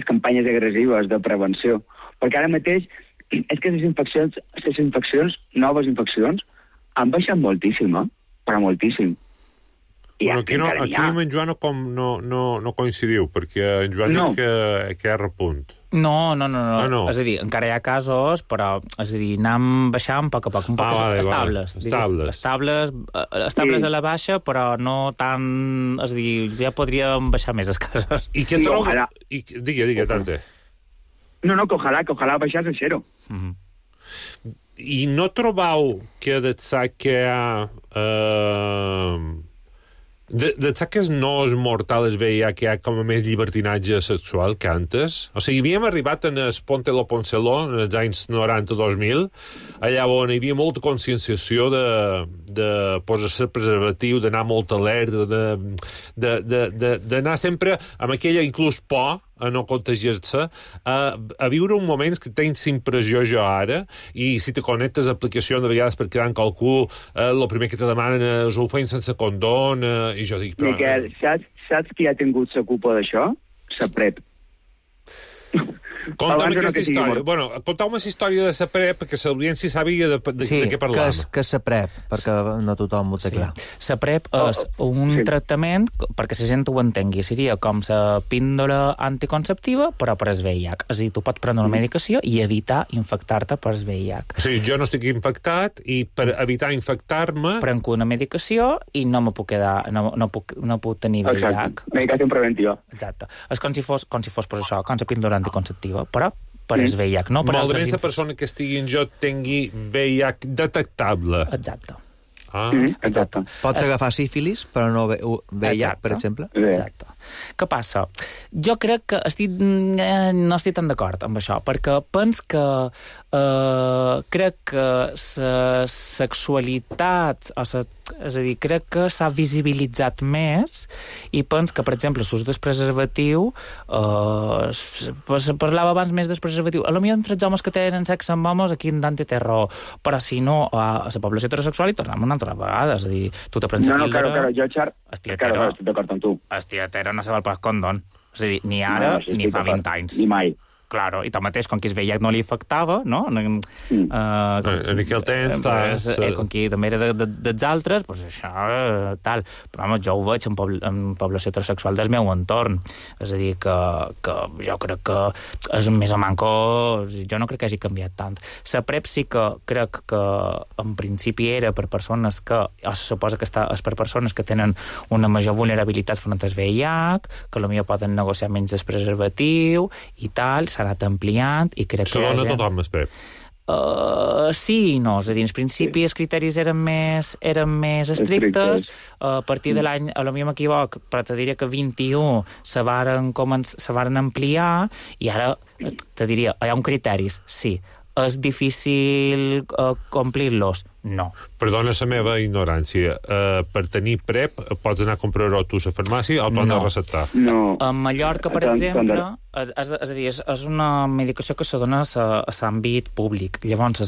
Speaker 6: campanyes agressives de prevenció. Perquè ara mateix és que les infeccions, noves infeccions, han baixat moltíssim, però moltíssim.
Speaker 3: Bueno, aquí amb en Joan no coincidiu, perquè en Joan diu que és repunt.
Speaker 5: No. És a dir, encara hi ha casos, però, és a dir, anem baixant a poc a poc, un poc estables a la baixa, però no tan... És a dir, ja podríem baixar més els casos.
Speaker 3: I què troba... Digue, Dante.
Speaker 6: No, que ojalà baixés a zero.
Speaker 3: I no trobau que d'ençà que hi ha... D'ençà que no és mortal el VIH, que hi ha com a més llibertinatge sexual que antes? O sigui, havíem arribat en el Ponte lo Ponceló, en els anys 90-2000, allà on hi havia molta conscienciació de posar-se preservatiu, d'anar molt alerta, d'anar sempre amb aquella inclús por a no contagiar-se, a viure un moment que tens impressió jo ara, i si te connectes a aplicació de vegades per quedar amb qualcú, el primer que te demanen és ho feien sense condón, i jo dic... Però...
Speaker 6: Miquel, saps qui ha tingut la culpa d'això? La PrEP.
Speaker 3: Conta'm aquesta història. Bueno, conta'm aquesta història de la PrEP, perquè l'audiència sàpiga de què parlàvem.
Speaker 4: Què és la PrEP? Perquè no tothom ho té clar.
Speaker 5: La PrEP és un tractament, perquè la gent ho entengui, seria com la píndola anticonceptiva, però per el VIH. És a dir, tu pots prendre una medicació i evitar infectar-te per el VIH.
Speaker 3: O sigui, jo no estic infectat i per evitar infectar-me...
Speaker 5: Prenc una medicació i no me puc quedar... No puc tenir VIH.
Speaker 6: Exacte. Medicació preventiva.
Speaker 5: Exacte. És com si fos per això, com la píndola anticonceptiva, però per el VIH, no per altres...
Speaker 3: Malament la persona que estigui en jo tingui VIH detectable.
Speaker 5: Exacte.
Speaker 6: Exacte.
Speaker 4: Pots agafar sífilis, però no VIH, per exemple?
Speaker 5: Exacte. Què passa? Jo crec que no estic tan d'acord amb això, perquè pens que crec que la sexualitat, és a dir, crec que s'ha visibilitzat més i pens que, per exemple, l'ús del preservatiu, parlava abans més del preservatiu, potser entre els homes que tenen sexe amb homes, aquí en Dante té raó, però si no, a la població heterosexual hi tornem una altra vegada, és a dir, tu te prens la píldora...
Speaker 6: No, jo, Xar, estic d'acord amb tu.
Speaker 5: Hòstia, hetero no se val pas condón. És a dir, ni ara ni fa 20 anys.
Speaker 6: Ni mai.
Speaker 5: Claro, i tanmateix, com que es veia que no li afectava, no?
Speaker 3: En aquell temps,
Speaker 5: com que també era dels altres, doncs això, tal. Però, home, jo ho veig en població heterosexual del meu entorn. És a dir, que jo crec que és més o manco... Jo no crec que hagi canviat tant. La PrEP sí que crec que en principi era per persones que... O se suposa que és per persones que tenen una major vulnerabilitat front al VIH, que potser poden negociar menys del preservatiu i tal, s'ha anat ampliant i crec que...
Speaker 3: Segons tothom es PrEP.
Speaker 5: Sí i no, és a dir, en principi els criteris eren més estrictes, a partir de l'any, potser m'equivoc, però te diria que 21 se varen ampliar i ara te diria, hi ha un criteris, sí. És difícil complir-los? No.
Speaker 3: Perdona la meva ignorància. Per tenir PrEP pots anar a comprar-ho tu a la farmàcia o t'ho han de receptar?
Speaker 6: No.
Speaker 5: A Mallorca, per exemple, és a dir, és una medicació que se dona a l'àmbit públic. Llavors,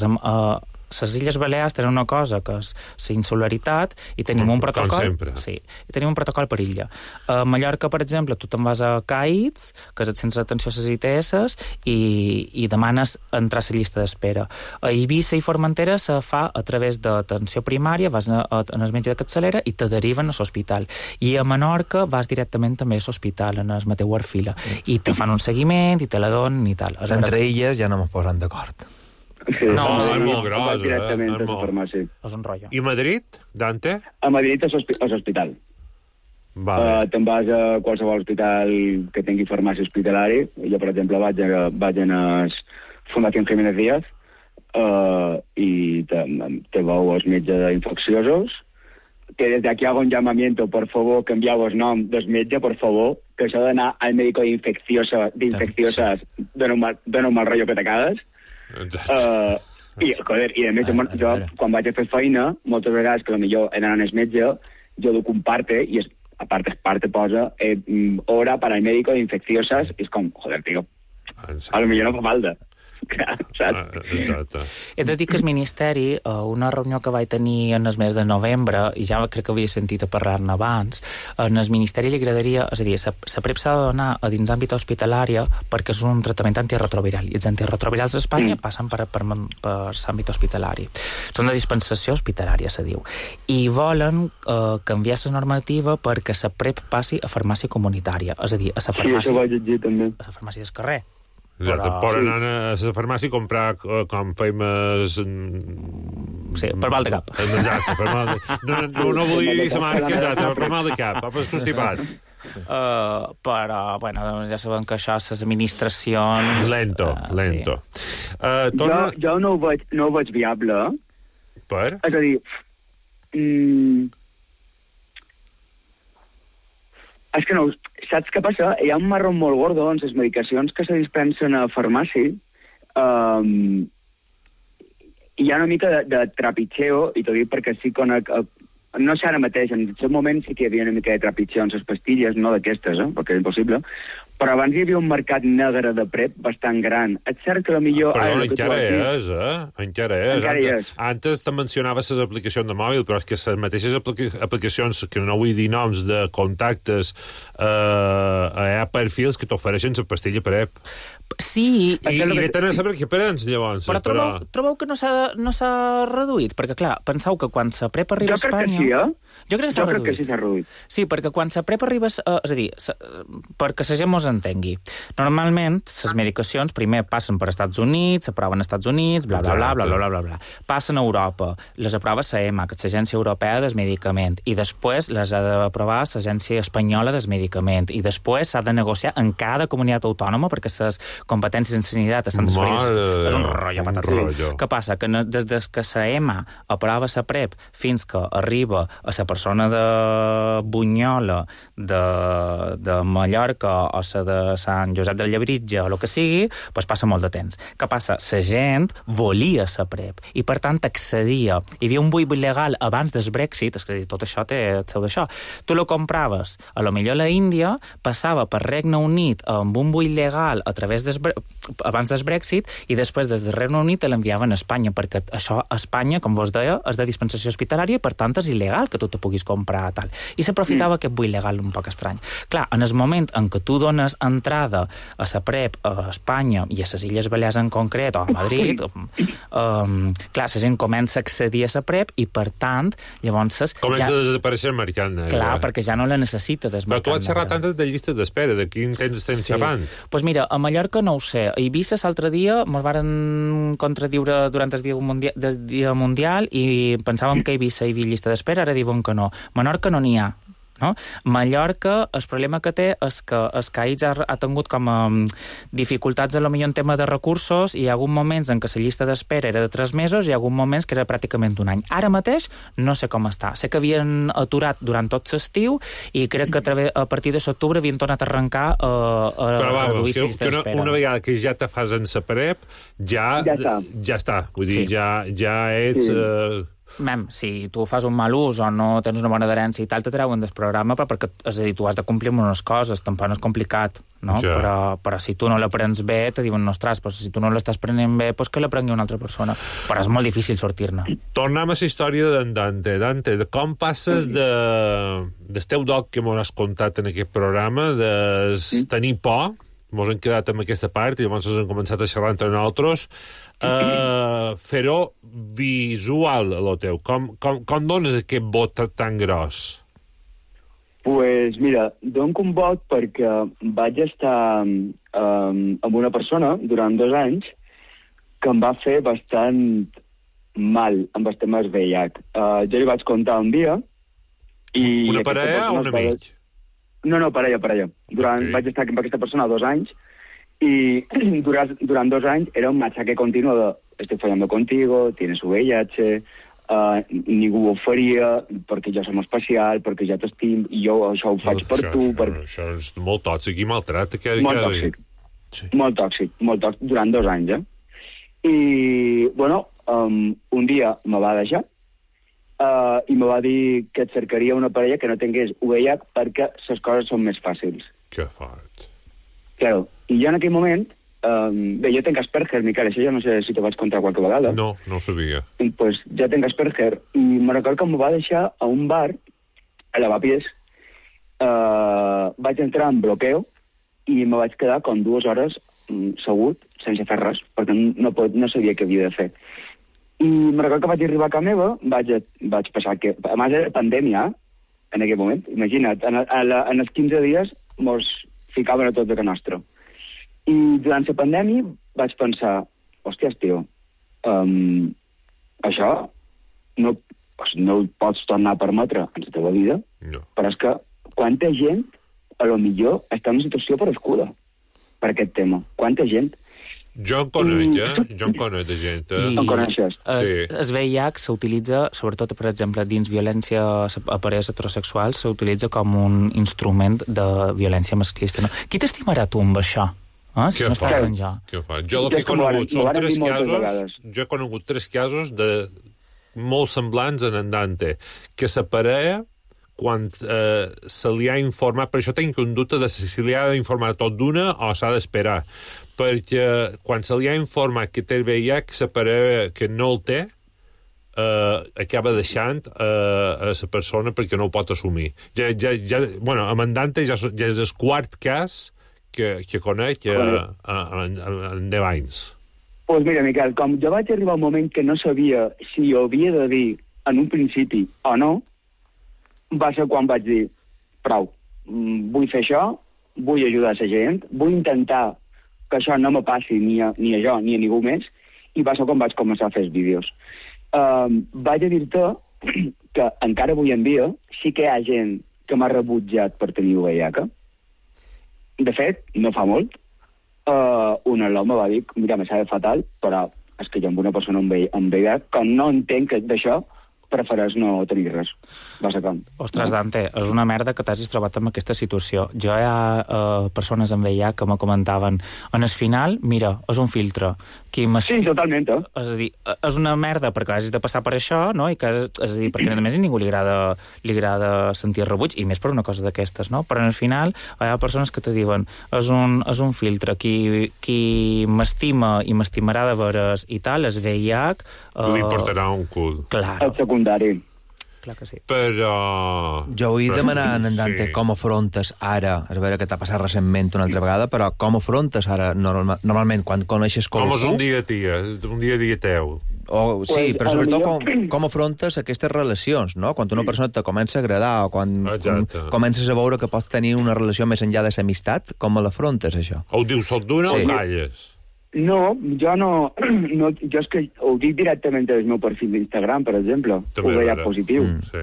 Speaker 5: les Illes Balears tenen una cosa que és la insularitat i tenim un protocol...
Speaker 3: Com sempre.
Speaker 5: Sí, i tenim un protocol per illa. A Mallorca, per exemple, tu te'n vas a CAIDS, que és el centre d'atenció a les ITS, i demanes entrar a la llista d'espera. A Eivissa i Formentera se fa a través d'atenció primària, vas en el metge de capçalera i te deriven a l'hospital. I a Menorca vas directament també a l'hospital, en el Mateu Arfila. I te fan un seguiment, i te la donen i tal.
Speaker 4: Entre illes ja no m'ho posen d'acord.
Speaker 6: Sí,
Speaker 3: no, és molt gros,
Speaker 5: és un rotllo.
Speaker 3: I Madrid, Dante?
Speaker 6: A Madrid és hospital.
Speaker 3: Vale.
Speaker 6: Te'n vas a qualsevol hospital que tingui farmàcia hospitalari. Jo, per exemple, vaig a Fundació Jiménez Díaz i te veu els metges d'infecciosos, que desde aquí hago un llamamiento, por favor, que envieu el nom del metge, por favor, que això d'anar al médico d'infecciosas dona un mal rotllo que te cagues. I a més, jo, quan vaig a fer feina, moltes vegades, que potser he d'anar al metge, jo duc un parte, i a parte posa hora para el médico de infecciosas, i és com, joder, tio, a lo millor no fa falta. Clar, saps?
Speaker 3: Exacte.
Speaker 5: He de dir que el Ministeri, a una reunió que vaig tenir en el mes de novembre, i ja crec que havia sentit a parlar-ne abans, en el Ministeri li agradaria, és a dir, la PrEP s'ha de donar a dins d'àmbit hospitalari perquè és un tractament antirretroviral, i els antirretrovirals a Espanya passen per l'àmbit hospitalari. Són de dispensació hospitalària, se diu. I volen canviar la normativa perquè la PrEP passi a farmàcia comunitària, és a dir, a la farmàcia...
Speaker 6: Sí, això vaig llegir també.
Speaker 5: A la farmàcia del carrer.
Speaker 3: Exacte, per anar a la farmàcia i comprar com fem...
Speaker 5: Sí, per mal de cap.
Speaker 3: Exacte, per mal de... No volia dir la marca, exacte, per mal de cap, per constipat.
Speaker 5: Però, bueno, doncs ja sabem que això, les administracions...
Speaker 3: Lento.
Speaker 6: Sí. Jo no ho veig viable.
Speaker 3: Per?
Speaker 6: És a dir... És que no, saps què passa? Hi ha un marró molt gordo en les medicacions que se dispensen a farmàcia. Hi ha una mica de trepitxeo, i t'ho dic perquè sí conec... No sé ara mateix, en aquest moment sí que hi havia una mica de trepitxeo en les pastilles, no d'aquestes, perquè és impossible, però abans hi havia un mercat negre de PrEP bastant gran. És cert que potser...
Speaker 3: Però encara és, Encara és. Antes te mencionaves les aplicacions de mòbil, però és que les mateixes aplicacions, que no vull dir noms, de contactes, hi ha perfils que t'ofereixen la pastilla PrEP.
Speaker 5: Sí.
Speaker 3: I tenen a saber què prens, llavors.
Speaker 5: Però trobeu que no s'ha reduït? Perquè, clar, penseu que quan la PrEP arriba a Espanya... Jo crec que sí s'ha reduït. Sí, perquè quan la PrEP arriba... És a dir, perquè la gent mos entengui. Normalment, les medicacions primer passen per Estats Units, s'aproven als Estats Units, bla, bla, bla. Passen a Europa, les aprova l'EMA, que és l'Agència Europea del Medicament, i després les ha d'aprovar l'Agència Espanyola del Medicament, i després s'ha de negociar en cada comunitat autònoma, perquè les competències en sanitat estan transferides. És un rotllo patatí. Què passa? Que des que l'EMA aprova la PrEP fins que arriba a la persona de Bunyola, de Mallorca o la de Sant Josep del Llebritge o el que sigui, doncs passa molt de temps. Què passa? La gent volia la PrEP i, per tant, accedia. Hi havia un buit legal abans del Brexit, és que tot això té el seu d'això. Tu lo compraves, a lo millor a la Índia, passava per Regne Unit amb un buit legal a través abans del Brexit, i després des del Regne Unit l'enviaven a Espanya, perquè això a Espanya, com vos deia, és de dispensació hospitalària i per tant és il·legal que tu te puguis comprar tal. I s'aprofitava aquest buit legal un poc estrany. Clar, en el moment en què tu dones entrada a la PrEP a Espanya i a les Illes Balears en concret, o a Madrid, clar, la gent comença a accedir a la PrEP i, per tant, llavors...
Speaker 3: Comença a desaparèixer el mercat negre.
Speaker 5: Clar, perquè ja no la necessita del mercat negre.
Speaker 3: Però tu has xerrat antes de llistes d'espera, de quin temps estem xerrant?
Speaker 5: Doncs mira, a Mallorca no ho sé. A Eivissa l'altre dia ens varen contradiure durant el dia mundial i pensàvem que a Eivissa hi havia llista d'espera, ara diuen que no. Menorca no n'hi ha. No? Mallorca, el problema que té és que el CAIX ha tingut com a dificultats a lo millor en tema de recursos, i hi ha hagut moments en què la llista d'espera era de 3 mesos i hi ha hagut moments que era pràcticament un any. Ara mateix no sé com està. Sé que havien aturat durant tot l'estiu i crec que a partir de l'octubre havien tornat a arrencar a reduir la llista d'espera.
Speaker 3: Una vegada que ja te fas en la PrEP, ja està. Vull dir, ja ets...
Speaker 5: si tu fas un mal ús o no tens una bona adherència i tal, te treuen del programa, perquè, és a dir, tu has de complir amb unes coses, tampoc no és complicat, no? Però si tu no la prens bé, te diuen, ostres, però si tu no l'estàs prenent bé, doncs que la prengui una altra persona. Però és molt difícil sortir-ne.
Speaker 3: Tornem a la història d'en Dante. Dante, com passes del teu doc que m'ho has contat en aquest programa, de tenir por, mos hem quedat amb aquesta part i llavors hem començat a xerrar entre nosaltres, fer-ho visual, el teu. Com dones aquest vot tan gros?
Speaker 6: Pues mira, dono un vot perquè vaig estar amb una persona durant 2 anys que em va fer bastant mal amb els temes VIH. Jo li vaig contar un dia i...
Speaker 3: Una parella o un amic?
Speaker 6: No, parella. Vaig estar amb aquesta persona 2 anys y durant 2 anys era un machaque continuo de estoy fallando contigo, tienes VIH, ningú ho faria perquè jo som especial, perquè jo t'estim i jo això ho faig per tu.
Speaker 3: Això és molt tòxic i maltrat.
Speaker 6: Molt tòxic, durant 2 anys, I, bueno, un dia me va deixar i me va dir que et cercaria una parella que no tingués VIH perquè les coses són més fàcils.
Speaker 3: Que fort.
Speaker 6: Claro, i jo en aquell moment Bé, jo tenc Asperger, Miquel, això jo no sé si t'ho vaig contar qualque vegada.
Speaker 3: No, no ho sabia.
Speaker 6: Pues jo tenc Asperger, i me recordo que em va deixar a un bar, a Lavapiés, vaig entrar en bloqueo, i me vaig quedar com 2 hores segut, sense fer res, perquè no sabia què havia de fer. I me recordo que vaig arribar a casa meva, vaig passar que... A més, era pandèmia, en aquell moment. Imagina't, en els 15 dies mos ficaven a tots a casa nostra. I durant la pandèmia vaig pensar, hòsties, tio, això no ho pots tornar a permetre en la teva vida,
Speaker 3: no.
Speaker 6: Però és que quanta gent, a lo millor, està en una situació perescuda per aquest tema. Quanta gent...
Speaker 3: Jo en conec de gent.
Speaker 6: En coneixes?
Speaker 3: Sí.
Speaker 5: El VIH s'utilitza, sobretot, per exemple, dins violència a parelles heterosexuals, s'utilitza com un instrument de violència masclista. No? Qui t'estimarà tu amb això? Si no estàs en jo.
Speaker 3: Què fa? Jo el que he conegut són 3 casos... Jo he conegut 3 casos de molt semblants en Dante, que la parella, quan se li ha informat, per això tinc un dubte de si li ha d'informar tot d'una o s'ha d'esperar, perquè quan se li ha informat que té el VIH, la parella que no el té, acaba deixant a la persona perquè no ho pot assumir. Bueno, amb en Dante ja és el 4 cas que conec en 10 anys.
Speaker 6: Doncs mira, Miquel, com jo vaig arribar a un moment que no sabia si ho havia de dir en un principi o no, va ser quan vaig dir, prou, vull fer això, vull ajudar la gent, vull intentar que això no me passi ni a jo ni a ningú més, i va ser quan vaig començar a fer els vídeos. Vaig a dir-te que encara avui en dia sí que hi ha gent que m'ha rebutjat per tenir VIH. De fet, no fa molt, un al·lò me va dir, mira, me sabe fatal, però és que jo amb una persona amb VIH, que no entenc que d'això prefereix no tenir res, bàsicament.
Speaker 5: Ostres, Dante, és una merda que t'hagis trobat en aquesta situació. Jo hi ha persones amb VIH que me comentaven, en el final, mira, és un filtre.
Speaker 6: Sí, totalment,
Speaker 5: És a dir, és una merda perquè hagis de passar per això, no? I que, és a dir, perquè a més a ningú li agrada sentir rebuig, i més per una cosa d'aquestes, no? Però al final hi ha persones que te diuen, és un filtre, qui m'estima i m'estimarà de veres i tal, és VIH...
Speaker 3: Li importarà un cul.
Speaker 5: Clar.
Speaker 6: El secundari.
Speaker 5: Clar que sí.
Speaker 3: Però...
Speaker 4: Jo vull demanar a en Dante com afrontes ara, a veure què t'ha passat recentment una altra vegada, però com afrontes ara normalment quan coneixes qualcú?
Speaker 3: Com és un dia teu?
Speaker 4: Sí, però sobretot com afrontes aquestes relacions, no? Quan una persona te comença a agradar o quan comences a veure que pots tenir una relació més enllà de l'amistat, com l'afrontes, això?
Speaker 3: O ho dius tot d'una o calles?
Speaker 6: No, jo no... Jo és que ho dic directament del meu perfil d'Instagram, per exemple. Ho veia positiu.
Speaker 3: Sí.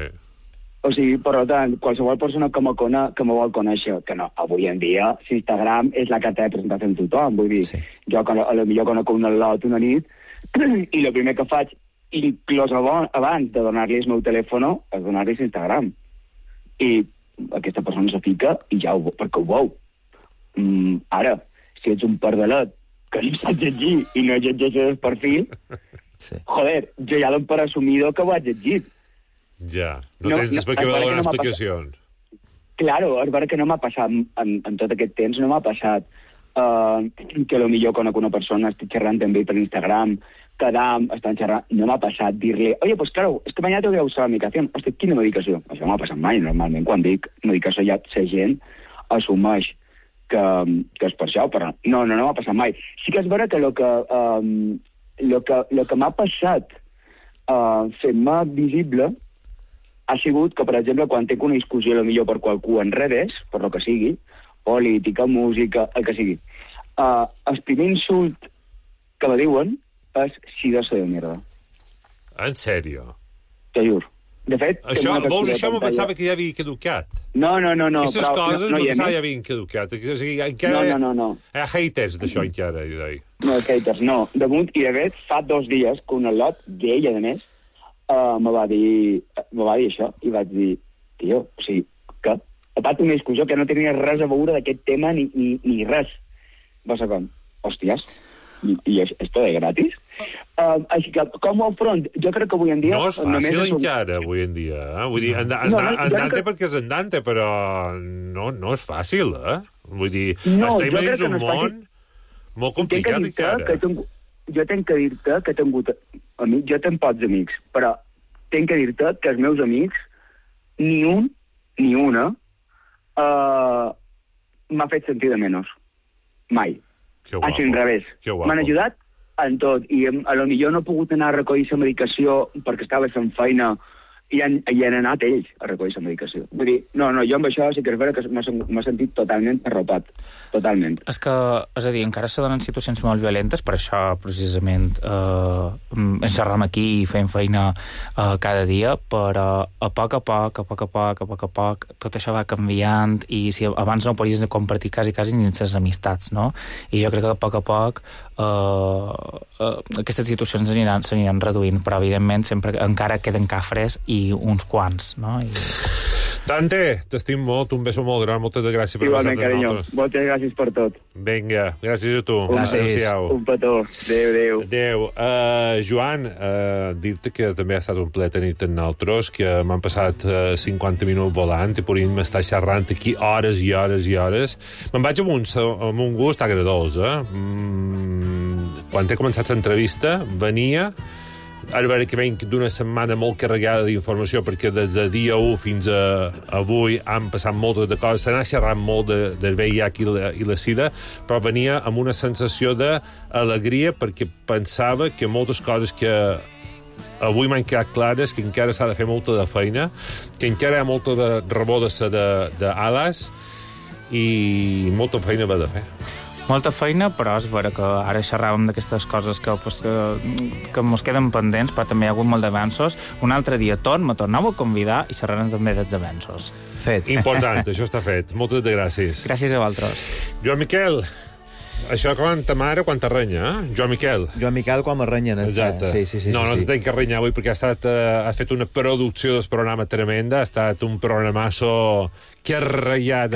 Speaker 6: O sigui, per tant, qualsevol persona que me vol conèixer, que no, avui en dia, Instagram és la carta de presentació amb tothom, vull dir, jo potser conec un al·lot una nit, i el primer que faig, inclús abans de donar-li el meu telèfon, és donar-li Instagram. I aquesta persona se fica i ja perquè ho veu. Ara, si ets un pardalet que no saps llegir i no llegeixes el perfil, joder, jo ja dono per assumido que ho has llegit.
Speaker 3: Ja, no tens per què donar explicacions.
Speaker 6: Claro, és vera que no m'ha passat, en tot aquest temps, no m'ha passat que potser conec una persona, estic xerrant també per Instagram, quedam, estan xerrant, no m'ha passat dir-li, oye, pues claro, es que mañana tengo que usar la medicación. Hosti, quina medicació? Això no m'ha passat mai, normalment, quan dic medicació ja la gent assumeix que és per això, però no m'ha passat mai. Sí que és vera que el que m'ha passat fent-me visible ha sigut que, per exemple, quan tinc una discussió potser per qualcú en redes, per lo que sigui, política, música, el que sigui, el primer insult que me diuen és sidoso de mierda.
Speaker 3: En sèrio?
Speaker 6: Te juro. De fet...
Speaker 3: Això me pensava que ja havia caducat.
Speaker 6: No.
Speaker 3: Aquestes coses me pensava que ja havien caducat. O sigui, encara...
Speaker 6: No.
Speaker 3: Hi ha haters d'això encara, jo deia.
Speaker 6: No, haters, no. Damunt, i de fet, fa 2 dies que un al·lot, d'ell, a més, me va dir això, i vaig dir, tio, o sigui, que ha estat una discussió que no tenia res a veure d'aquest tema ni res. Va ser com, hòsties, i esto de gratis? Així que, com ho afront? Jo crec que avui en dia...
Speaker 3: No és fàcil encara, avui en dia. Vull dir, Dante perquè és Dante, però no és fàcil, eh? Vull dir, estem dins un món Molt complicat, encara.
Speaker 6: Jo tenc que dir-te que he tingut amics, jo tenc pocs amics, però tenc que dir-te que els meus amics, ni una, m'ha fet sentir de menys. Mai. Així, al revés. M'han ajudat en tot, i a lo millor no he pogut anar a recollir la medicació perquè estava fent feina i han anat ells a recollir la medicació. Vull dir, no, jo amb això sí que és vera que m'ha sentit totalment arropat. Totalment.
Speaker 5: És a dir, encara se donen situacions molt violentes, per això, precisament, ens xerram aquí i fem feina cada dia, però a poc a poc, tot això va canviant, i si abans no podies compartir quasi ni les amistats, no? I jo crec que a poc aquestes situacions s'aniran reduint, però evidentment sempre encara queden cafres i uns quants, no?
Speaker 3: Dante, t'estim molt, un beso molt gran, moltes gràcies per
Speaker 6: estar amb nosaltres. Moltes gràcies per tot.
Speaker 3: Vinga, gràcies a tu.
Speaker 4: Gràcies.
Speaker 6: Un petó. Adéu.
Speaker 3: Joan, dir-te que també ha estat un plaer tenir-te amb nosaltres, que m'han passat 50 minuts volant i podríem estar xerrant aquí hores i hores i hores. Me'n vaig amb un gust agradós, Quan he començat l'entrevista, venia... Ara veure que venc d'una setmana molt carregada d'informació, perquè des de dia 1 fins a avui han passat moltes de coses, s'ha anat xerrant molt del VIH i la SIDA, però venia amb una sensació d'alegria perquè pensava que moltes coses que avui m'han quedat clares, que encara s'ha de fer molta de feina, que encara hi ha molta de rebó-se d'ales i molta feina va de fer.
Speaker 5: Molta feina, però és vera que ara xerràvem d'aquestes coses que mos queden pendents, però també hi ha hagut molt d'avanços. Un altre dia me torneu a convidar i xerrarem també dels avanços.
Speaker 4: Fet.
Speaker 3: Important, això està fet. Moltes gràcies.
Speaker 5: Gràcies a vosaltres.
Speaker 3: Joan Miquel, això quan ta mare, quan t'arrenya, Joan Miquel.
Speaker 4: Joan Miquel quan m'arrenyen.
Speaker 3: Exacte.
Speaker 4: Sí.
Speaker 3: No t'entenc que arrenyar avui perquè ha fet una producció del programa tremenda, ha estat un programasso que ha ratllat